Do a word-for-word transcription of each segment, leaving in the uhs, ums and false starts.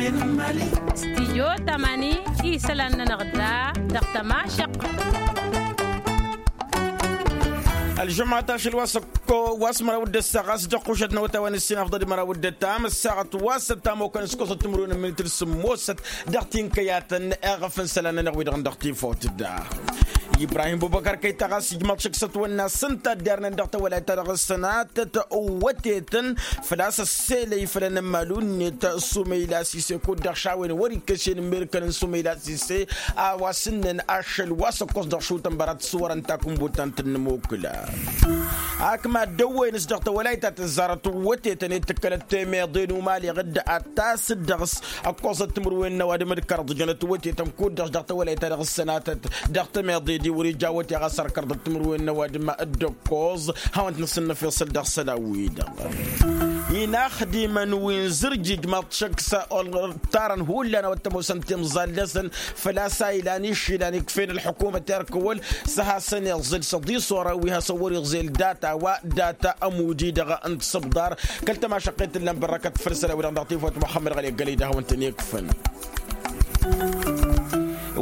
Stijyo tamani isălan-nănăɣ da dăɣ-tămašăq. Ălžămma ta šăl wa s-ăkko wa s-măraw d-ăssaɣ a-s dăɣ-kušăt n-awătay wa n-ǝssin afḍăl măraw d-ătam ăssaɣăt wa s-ăttam okăn s-kosăt timǝrwen n-minit d-sǝmmosăt dăɣ-tinkăyatăn iɣăf n-isălan-nănăɣ wi-dăɣ n-dăɣ-tifawt da. Ibrahim bubăkar kăyta ɣas ijmăḍ šăkk s-ătwănna s-ǝnta dd-irnen dăɣ-tawălayt-ta-dăɣ ǝssănatăt ăwwătetăn făl-a-s ăsselăy făll-enămmalu-net s-umăyla sise kud-dăɣ šawen wăr-ikkăs i-inǝmmerkăn n-sumăyla sise a-wa s-ǝnnen ašăl wa s-ăkkos dăɣ-šutăn bărat s-wărăn takǝnbut ta n-tǝnnǝmokǝla. Ak mad-dăwwăyăn-s dăɣ-tawălayt ta tǝzzarăt wătetăn i-tǝkkălăt temeḍe n-umaleɣ dd-ad-tasǝd dăɣ-s ăkkoẓăt timǝrwen n-ăwadǝm d-kăraḍ jănăt wătetăn kud-dăɣ dăɣ-tawălayt ta dăɣ-ǝssănatăt dăɣ-temeḍe-di wăr-ija wăte ɣas ărkăr dăɣ-timǝrwen n-ăwadǝm d-ăkkoẓ. Hawăn-t năsǝnnăf iṣǝl dăɣ-isălan-wi-dăɣ inaxdimăn wi n-zǝrjǝj mad-t-šăkk s-ăltarăn hullan a-wa t-ămoosăn timẓal-năsăn făl-a-s a ilan išilan ikf'-en ălḥukumăt erk wăl s-hasăn-iẓǝl s-ăḍisoran wi hasăn-wăr-iẓel data wa data ămudi-dăɣ n-tisǝbḍar. Kăl-tămašăqqet tǝllan bărrăkăt făll-isălan-wi-dăɣ dăɣ-tifawt muxămmăd ɣăli ăggălăy d-hawăn-tăn-ikfăn.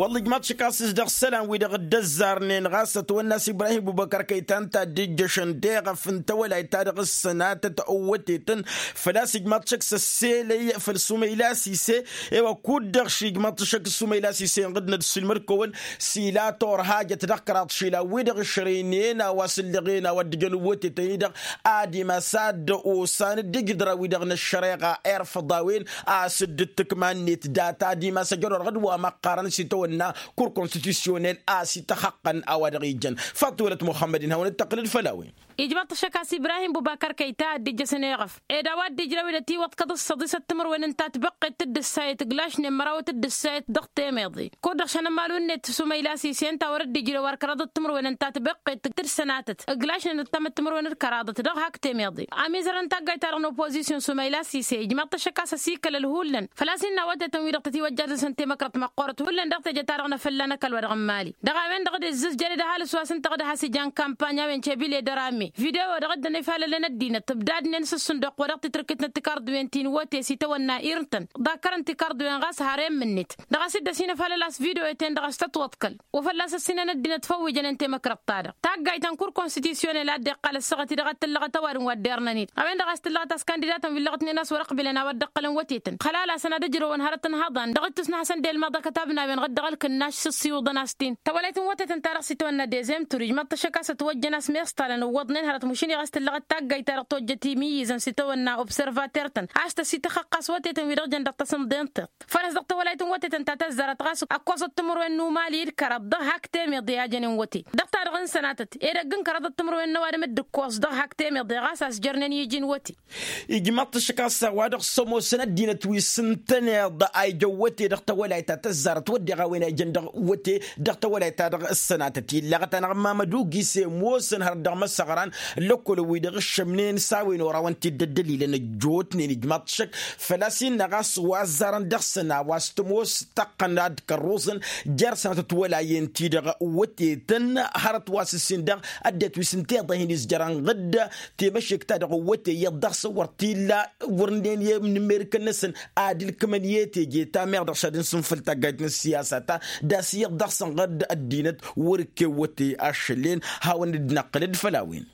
Wălla ijmaḍ-t šăkk a-s s-dăɣ isălan-wi-dăɣ dd-ăzzarnen ɣas ătwănna a-s ibrahim bubăkăr kăy-ta ǝnta a dd-ijjăšăn deɣăf n-tawălayt-ta-dăɣ ǝssănatăt ăwwătetăn făl-a-s ijmaḍ-t šăkk s-ăsselăy făll-sumăyla sise. I-wa kud-dăɣ šijmaḍ-t šăkk s-sumăyla sise inɣǝd n-ad-ǝssilmăd-kăwăn s-ila torhajăt dăɣ-kăraḍ išilan-wi-dăɣ ǝšrăynen a-wa s-ǝllăɣen a-wa dd-ǝjăn wătetăn-i-dăɣ ad-imas ad-dd-osan dd-ijǝdra-wi-dăɣ n-ăššăreɣa irfăḍ a-wen a-s dd-tǝkma-net data ad-imas ăjăr wa dăɣ-dd-wa măqqarăn s-itawănna kur konstitusyonel a-s ităxăqqăn a-wa dăɣ-ijăn. Faḍt wălăt muxămmăd-in hawăn-dd-tăqqǝlăd făll-a-wen. Ijmăḍ-t ăššăk a-s ibrahim bubakăr kăy-ta a dd-ijjăsăn eɣăf ed a-wa dd-ijrăw-dd ătiwăḍkăḍ s-săḍisăt timǝrwen n-tatbăqqet d-ǝssayăt ǝglašnen mărawăt d-ǝssayăt dăɣ-temeḍe kud-dăɣ šăn ămalu-net s-umăyla sise ǝnta wăr-dd-ijrăw ărkăraḍăt timǝrwen n-tatbăqqet d-ǝssănatăt ǝglašnen d-tamăt timǝrwen d-kăraḍăt dăɣ-hak temeḍe. Amizărăn taggayt-ta-dăɣ n-opozisyon s-umăyla sise ijmăḍ-t ăššăk a-s ăsikălăl hullan făl-a-s innă a wătetăn-wi-dăɣ tătiwăjjadăn s-ăntemăkrăt măqqoorăt hullan dăɣ-teje-ta-dăɣ n-afălla n-ăkall wa dăɣ-n mali dăɣ-a-wen-dăɣ d-izzǝzjăr d-ăhalǝs wa s-ǝnta dăɣ-dd-has-ijan kampany a-wen cebile d-ăramme video-dăɣ dd-ănifalălăn ăddinăt ǝbdadnen s-ǝssǝnduq wa dăɣ-titǝrkit n-ăttikarḍuwen ti n-iwăte s-itawănna irǝntăn ḍakkărăn tikarḍuwen ɣas har i-ǝmmǝnnet dăɣ-a-s dd-ăsinăfalăl a-s video-ten-dăɣ a-s tătwăḍkăl wa fălla-s ăssinăn ăddinăt făw ijănen temăkrăḍt-ta-dăɣ taggayt ta n-kur konstityonel a dd-iqqal ăssaɣăt-i-dăɣ ad-tǝllăɣăt ăwadǝm wa dd-irnăn-dd a-wen-dăɣ a-s tǝllăɣăt a-s kandidatăn wi ǝllăɣătnen a-s wăr-ăqbǝlăn a-wăr dd-ǝqqălăn wătetăn xălal-asăn ad-ăjrăwăn hărăt ǝnhăḍan dăɣ-dd-tǝsnăhăsăn d-elmăḍ ăkătabnawen ɣǝd-dăɣ ălkǝnnaš s-ǝssiwǝḍăn a-s t-in tawălayt n-wătetăn-ta-dăɣ s-itawănna dezem tur ijmăḍ-t ăššăk a-s ătwăjjăn a-s meṣṭalăn ǝwwăḍnen hărăt mašin i-ɣas tǝllăɣăt taggayt-ta-dăɣ tojjăt imǝyyǝzăn s-itawănna observater-tăn a-s tăsităxăqqas wătetăn wi-dăɣ jăn dăɣ-tasǝmḍe n-tiṭ făl-a-s dăɣ-tawălayt n-wătetăn ta tăzzarăt ɣas ǝkkoẓăt timǝrwen n-umali d-kăraḍ dăɣ-hak temeḍe a jănen wăte dăɣ-ta-dăɣ n-sănatăt edăgg n-kăraḍăt timǝrwen n-ăwadǝm d-ǝkkoẓ dăɣ-hak temeḍe ɣas a-s jărnen iji n-wăte. Ijmăḍ-t ăššăk a-s a-wa-dăɣ s-ămoosăn ăddinăt wi s-ǝntăneḍ a ijăn wăte dăɣ-tawălayt ta tăzzarăt wădden a-wen a ijăn dăɣ-wăte dăɣ-tawălayt-ta-dăɣ ǝssănatăt illăɣăt-anăɣ mamăd ugise ămoosăn hărăt dăɣ-măsăɣran lăkkol-wi-dăɣ ǝššămnen s-a-wen oraw ǝnta-dd ăddălilăn ăjjootnen ijmăḍ-t šăk făl-a-s innă ɣas wa ăzzarăn dăɣ-săn a-wa s-tămoos tăqqăn ad-kărruẓăn jer-sănatăt wăla i-ǝnta-i-dăɣ wătetăn hărăt wa s-ǝssin dăɣ-ăddinăt wi s-ǝnta iḍa hin-izjărăn ɣǝdd temăšek-ta-dăɣ wăte iyyăḍ dăɣ-săn wăr t-illa wăr ǝnnen i-inǝmmerǝkăn-năsăn ad-ǝlkǝmăn i-teje ta meɣ dăɣ-s ad-ǝnsǝnfǝl taggayt n-ăssiyasa ta d-a-s iyyăḍ dăɣ-săn ɣǝdd ăddinăt wăr-ǝkkew wăte ašăl-en. Hawăn-dd-năqqǝlăd făll-a-wen.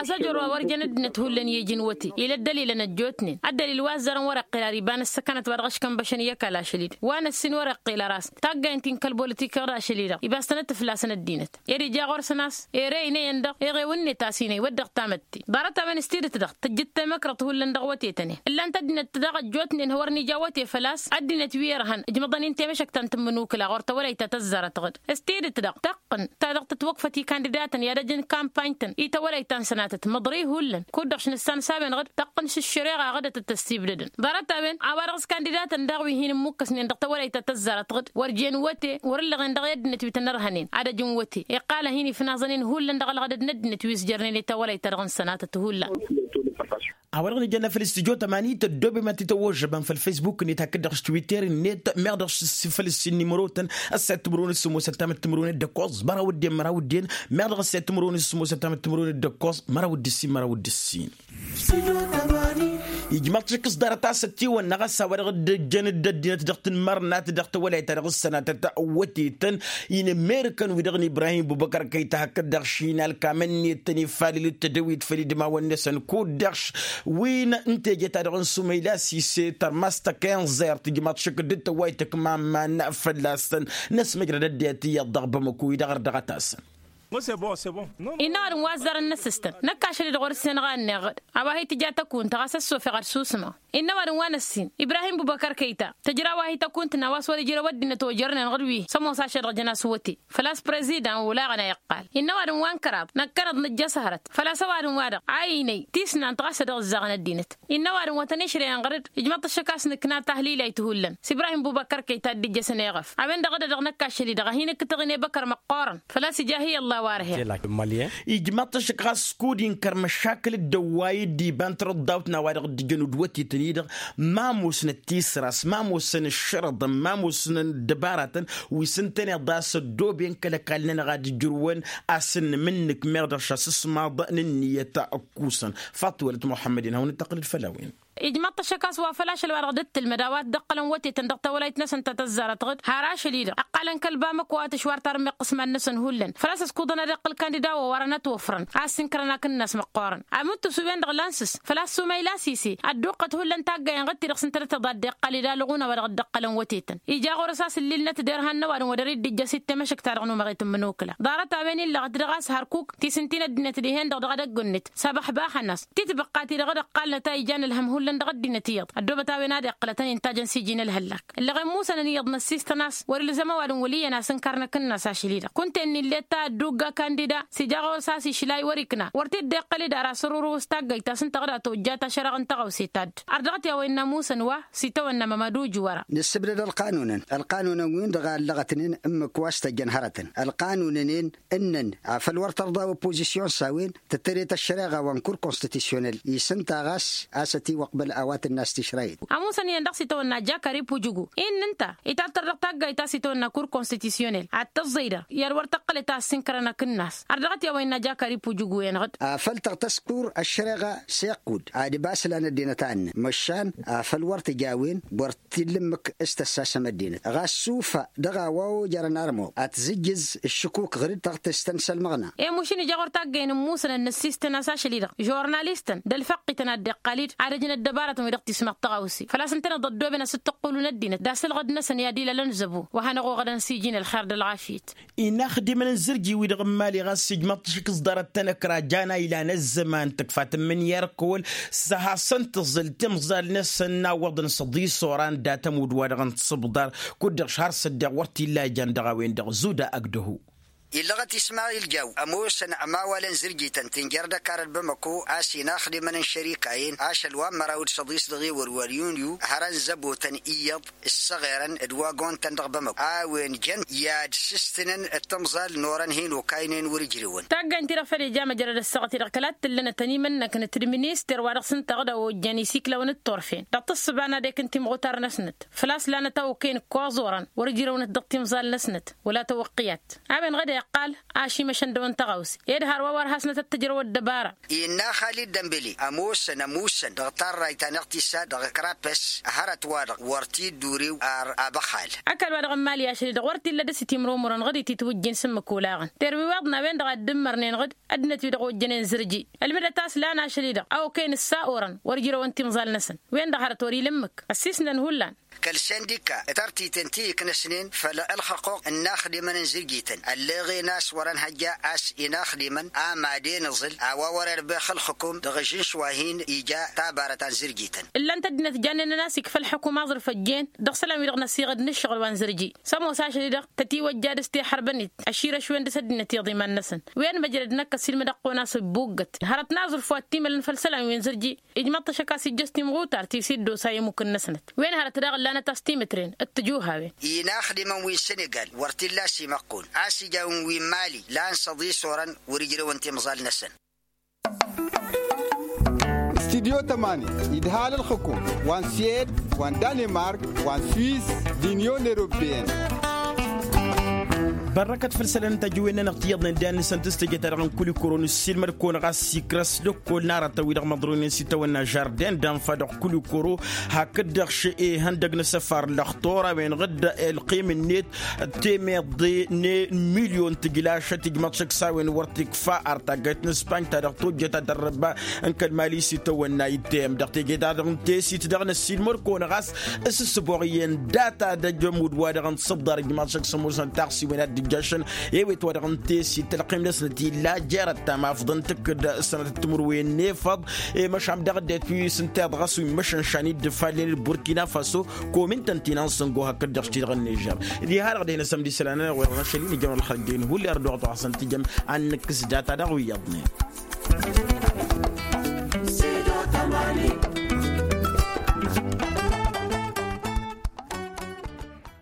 A-s ăjor wa wăr jăn ăddinăt hullan i-iji n-wăte ila ăddălilăn ăjjootnen ăddălil wa ăzzărăn wăr-iqqil ar iba n-ăssăkanăt wa dăɣ-ăškănbăšăn i-ăkall ašăl-i-dăɣ wa n-ăssin wăr-iqqil ăras taggaynt ti n-kăl-bolitik-i-dăɣ ašăl-i-dăɣ ibastănăt fălla-săn ăddinăt ed ija ɣur-săn a-s ere ine-iyyăn-dăɣ iɣew-net a-s inăy wădden tamătte ḍarăt-a-wen s-tidǝt-dăɣ tǝjjǝd temăkrăḍt hullan dăɣ-wătetăn-en ǝllan-t ăddinăt daɣ ăjjootnen hawăr-nija wăte făl-a-s ăddinăt wi irhan ǝjmăḍăn-in temăšăkt ta n-tǝmmǝnukǝla ɣur-tawălayt ta tăzzarăt ɣǝd s-tidǝt-dăɣ tăqqǝn ta dăɣ-tǝtwăkfăt i-kandidatăn i-ad-ăj n-kampany-tăn i-tawălayt ta n-sănatăt măḍrăy hullan kud-dăɣ šnǝssan s-a-wen ɣǝd tăqqǝn s-ǝššăreɣa ɣǝdăt d-tăssibdădăn ḍarăt-a-wen a-wa-dăɣ s-kandidatăn daɣ wi hin-ǝmmukkăsnen dăɣ-tawălayt ta tăzzarăt ɣǝd wăr jen wăte wăr-ǝllăɣen dăɣ-i ăddinăt wi tăn-ărhănen ad-ăj n-wăte iqqal a hin-ifnaẓăn-in hullan dăɣ-ălɣădăd n-ăddinăt wi s-jărnen i-tawălayt-ta-dăɣ n-sănatăt hullan. A-wa-dăɣ nǝjănna făll-studyo tămani tăddoobem ad-t-tăwwăžžăbăm făll-faysbuk-net hakd-dăɣ s-twitter-net meɣ dăɣ-s făll-ǝssin nimărotăn ăssayăt timǝrwen d-sǝmmosăt tamăt timǝrwen d-ǝkkoẓ măraw d-en măraw d-en meɣ dăɣ-ăssayăt timǝrwen d-sǝmmosăt tamăt timǝrwen d-ǝkkoẓ măraw d-ǝssin măraw d-ǝssin. Ijmaḍ-t ašăk s-ḍarăt a-s ătiwănna ɣas a-wa-dăɣ dd-ǝjjăn dd-ăddinăt dăɣ-tǝnmărnat dăɣ-tawălayt-ta-dăɣ s-sănatăt wătetăn. Inǝmmerǝkăn-wi-dăɣ n-ibrahim bubăkăr kăyta hakd dăɣ-išiynal kamăn-net tăn-ifalǝl d-tedăwit făll-idmawăn-năsăn kud-dăɣ wi n-teje-ta-dăɣ n-sumăyla sise tărmas tăkăyăn ẓert ijmaḍ-t ašăk dd-tăwwayt ǝkmamman fălla-săn. Năsmăjrăd ăddinăt iyyăḍ dăɣ-bamăko-i-dăɣ ărdăɣăt-asăn. Innă ăwadǝm wa ăzzarăn n-asǝstăn năkk ašăl-i-dăɣ wăr-ǝssinăɣ a ănneɣ-dd a-wa hi-tǝja tăkunt ɣas ăssofeɣ ad-susǝmăɣ. Innă ăwadǝm wa n-ăssin ibrahim bubăkăr kăyta tǝjraw a hi-tăkunt n-a-wa s-wăr-ijrăw ăddinăt ojărnen ɣur-wi. Sămoos ašăl-dăɣ jăn-as wăte făl-a-s prezidan olaɣăn a iqqal. Innă ăwadǝm wa n-kăraḍ năkkănăḍ nǝjjăs hărăt făl-a-s ăwadǝm-wa-dăɣ a inăy tisnant ɣas a dăɣ-ǝzzaɣăn ăddinăt. Innă ăwadǝm wa tăn-išrăyăn ɣăr-dd ijmăḍ-t ašăk a-s nǝkna tahlilayt hullan s-ibrahim bubăkăr kăyta dd-ijjăsăn eɣăf a-wen-dăɣ dd-edăɣ năkk ašăl-i-dăɣ a hin-ǝkkǝtăɣ inebăkăr măqqoorăn. Făl-a-s ija hi-ălla a-wa ărhen. Ijmăḍ-t ašăk ɣas kud-inkăr măšakǝl dd-ăwway dd-iba n-tărǝḍḍawt n-a-wa dăɣ-dd-ǝjăn udwătetăn-i-dăɣ. Ma ămoosnăt tisra s-ma ămoosăn ǝššărăḍăn ma ămoosnăn ăddăbaratăn wi s-ǝntăneḍ a-s ăddooben kăl-ăkall-nănăɣ ad-ǝjrǝwăn. A-s ǝnnǝmǝnnǝk meɣ dăɣ-šasǝsmaḍ n-ǝnniyăt ăkkusăn. Faḍt-wălăt muḥămmăd-in hawăn-dd-tăqqǝlăd făll-a-wen. Ijmăḍ-t ašăk a-s wa făl ašăl-wa-dăɣ dd-tǝlmăd a-wa dd-ăqqălăn wătetăn dăɣ-tawălayt-năsăn ta tăzzarăt ɣǝd har ašăl-i-dăɣ ăqqalăn kăl-bamăko a tǝšwar tarǝmmeɣt iqǝsman-năsăn hullan făl-a-s ăskudăn ad-iqqǝl kandida wa wărăn ătwăfrăn a ăssinkărăn akǝnnas măqqoorăn. Amǝnttus-wen-dăɣ lansǝs făl-a-s sumăyla sise ădduqqăt hullan taggayen ɣǝd-ti-dăɣ s-ǝntănăteḍ ad-dd-iqqal ed alɣun a-wa dăɣ-dd-ăqqălăn wătetăn. Ija ɣur-s a-s ǝllilnăt derhan n-ăwadǝm wa dăr-dd-ijjăs i d-temăšǝkt-ta-dăɣ n-umăɣet n-imǝnokǝla ḍarăt-a-wen illăɣăt dăɣ-a-s hărkuk tisǝnti n-ăddinăt dihen-dăɣ dăɣ-edăgg-net sabăxbaxăn-as titbăqqa-ti-dăɣ d-ăqqalnăt a ijan ălhăm hullan dăɣ-ăddinăt iyyăḍ ăddoobăt a-wen ad-iqqălătăn intajăn s-iji n-ălhăllak. Ǝllăɣen musănăn iyyăḍ năssistăn a-s wăr-ilzăm ăwadǝm wăl' iyyăn asǝnkar n-akǝnnas ašăl-i-dăɣ kunta-en n-illet ta ăddugga kandida s-ija ɣur-s a-s išlay wăr-ikna wăr t-dd-iqqăl-dd ar asǝrrǝw s-taggayt ta s-ǝnta ɣǝd a tojja tašăreɣ n-tăɣawse ta dd-ărdăɣăt i-a-wa innă musăn wa s-itawănna mămăduj wăra. Nǝssǝbdăd ălqanunăn ălqanunăn-win-dăɣ a ǝllăɣătnen ǝmmǝk wa s-tăjjăn hărătăn ălqanun-ǝnnin ǝnnăn afăl wăr tărḍa opozisyon s-a-wen tǝttăret ăššăreɣa wa n-kur konstitisyonel isǝnta ɣas a-s ătiwăqbăl a-wa tǝnna s-tišrayǝt. Ămusăn iyyăn dăɣ-s itawănna jakari pujugu-i n-ǝnta itattăr dăɣ-taggayt a-s itawănna kur konstitisyonel ad-tăẓẓăy-dăɣ i-ad-wăr tăqqălet a ăssinkărăn akǝnnas. Ărdăɣăt i-a-wa innă jakari pujugu-en-dăɣ. Afăl tăɣtăs kur ăššăreɣa s-iqqud ad-ibas lan ăddinăt a ǝnnăn măšan afăl wăr tǝj a-wen wăr t-illa ǝmmǝk s-tăssasăm ăddinăt ɣas sufa dăɣ-a-wa ojărăn armuḍ ad-tǝzǝjjǝz ǝššǝkuk ɣǝr-dd taɣtest ta n-isălmăɣna. I-mušǝn ija ɣur-taggăyăn n-imusăn ănnăssistăn a-s ašăl-i-dăɣ žurnalistăn d-ălfăqqităn ad-dd-iqqal-dd ad-ăjǝn ăddăbarătăn wi-dăɣ tismăɣ tăɣawse făl-a-s ǝntăneḍ ăddooben asǝttăqqulu n-ăddinăt d-asǝlɣăd-năsăn i-ad-ilalăn zăbo wa hanăɣ-oɣădăn s-iji n-ălxer d-ălɣafyăt. Inaxdimăn n-zǝrji-wi-dăɣ n-imali ɣas ǝjmăḍ-t ašǝk s-ḍarăt-tăn ăkra jan a ilan ăzzăman tǝkfa tǝmmǝnǝya ărkăwăl s-hasăn-t tǝẓǝl timẓal-năsăn n-awwăḍăn s-ăḍis oran dat-ămudd-wa-dăɣ n-tisǝbḍar. Kud-dăɣ šhar s-ăddeɣ wăr t-illa ijan dăɣ-a-wen-dăɣ zuda ăgg dăhu. Illăɣăt ismayil jaw ămoosăn ămawalăn zǝrjităn tǝnjăr d-ăkarăt bamăko a-s inaxdimăn n-šărikayen ašăl wa n-măraw d-săḍis dăɣ-ewăr wa n-yunyu hărăn zăbotăn iyyăḍ ǝssăɣerăn d-wagon-tăn dăɣ-bamăko a-wen jăn i-ad-sǝstǝnăn d-timẓal n-orăn hin-okaynen wăr-ǝjrewăn. Taggaynt-ti-dăɣ făl ija măjrăd ăssaɣăt-i-dăɣ kăla t-tǝllănătăn imănnăknăt d-minister wa dăɣ-s ǝnta ɣǝd a ojjăn isiklawăn d-turfen dăɣ-tǝssǝba n-adek n-timɣutar-năsnăt făl-a-s lanăt a okăyăn ǝkkoẓ orăn wăr-ǝjrăwnăt dăɣ-timẓal-năsnăt wăla tawăqqǝyat. A-wen ɣǝd a iqqal ašimăšăn dăɣ-wăn tăɣawse ed hărwa wăr hasnăt ad-tǝjrăw ăddăbara. Innă xalid dămbele ămoosăn ămusăn dăɣ-tarrayt ta n-iɣtisad dăɣ-krapes hărăt-wa-dăɣ wăr t-dd-urew ar abăxal. Ăkall-wa-dăɣ n-imali ašăl-i-dăɣ wăr t-illa dăr-s itimrumurăn ɣǝd ititwǝjjin s-ǝmmǝk olaɣăn terwiwaḍna a-wen-dăɣ a dd-ǝmmărnen ɣǝd ăddinăt-wi-dăɣ ojjănen zǝrji ălmǝdăt a-s lan ašăl-i-dăɣ a okăyăn ǝssa orăn wăr ǝjrăwăn timẓal-năsăn wen-dăɣ hărăt wăr-ila ǝmmǝk ăssisnăn hullan. Kăl-sindika tartiten ti iknăsnen făll-ălxăqquq n-inaxdimăn n-zǝrjităn ălleɣen a-s wăr-ănhăjja a-s inaxdimăn a maden ǝẓǝl a-wa wăr-irbex ǝlxǝkum dăɣ-ažǝnš wa hin-ija tabarăt ta n-zǝrjităn. Ǝllan-t ăddinăt jannen-nănăɣ a-s ikfa ălxǝkum aẓrǝf ăjjeen dăɣ-isălan-wi-dăɣ n-ăsiɣăd n-ǝššăɣǝl wa n-zǝrji s-ămoos ašăl-i-dăɣ tătiwăjja dăɣ-s tihărbănet ăširăš-wen dăɣ-s ăddinăt iḍiman-năsăn. Wen măjrăd năkk ăsiilmăd ăqqon a-s ǝbbuggăt hărăt n-aẓrǝf wa t-imălăn făll-isălan wi n-zǝrji. Ijmăḍ-t ašăk a-s ijjăš timɣutar ti s-iddosa i-ămmuk-năsnăt wen hărăt daɣ ǝllanăt a-s timǝtren d-tǝjuhawen. Inaxdimăn wi n-sănegal wăr t-illa a-s imăqqun a-s ija a-wen wi n-mali lan s-ăḍis orăn wăr ǝjrăwăn timẓal-năsăn. Studyo tămani idhal ǝlxǝkum wa n-suwed wa n-danimark wa n-swiss d-inyon eropeyăn. Bărrăkăt făll-isălan n-tajǝwen-nănăɣ ti iyyăḍnen d-ad-nǝsăntǝs teje-ta-dăɣ n-kulikoro nǝssiilmăd-kăwăn ɣas sikra s-lăkkol n-aratăn-wi-dăɣ măḍroynen s-itawănna žarden d-anfa dăɣ-kulikoro. Hakd-dăɣ šăy ihăndăg n-asăfar lăxtur a-wen ɣǝdda ălqim-net temeḍe n-milyon tǝjlašăt ijmăḍ šăkk s-a-wen wăr t-ikfa ar taggayt n-ispanj ta dăɣ-tojjăt ad-ărrăba n-kăl-mali s-itawănna itteyăm dăɣ-teje-ta-dăɣ n-tesit dăɣ-năssiilmăd-kăwăn ɣas s-ǝssǝboɣ iyyăn data d-ajămud wa-dăɣ n-sǝḍḍar ijmaḍ šăkk s-ămoosăn taɣsiwen ad-dd-ǝjjašăn. I-wet wa dăɣ-n tesit tălqim-năsnăt illa jerăt tamafḍăn tǝkkǝd sănătăt timǝrwen n-efăḍ. I-măšan dăɣ-ăddinăt wi s-ǝnta iḍɣăs wi n-măšănšan i-dd-ǝfallen d-burkina faso. Kom ǝnta ǝnta inan sǝngo hakd-dăɣ s-ti-dăɣ n-nižer. Diha-dăɣ dehăn asămd isălan-anăɣ wi-dăɣ n-ašăl-i nǝjăm ălxăl dd-inhulli ar dd-oɣăḍ wa hasăn-tǝjăm ad-nǝkkǝs data-dăɣ wi iyyăḍnen.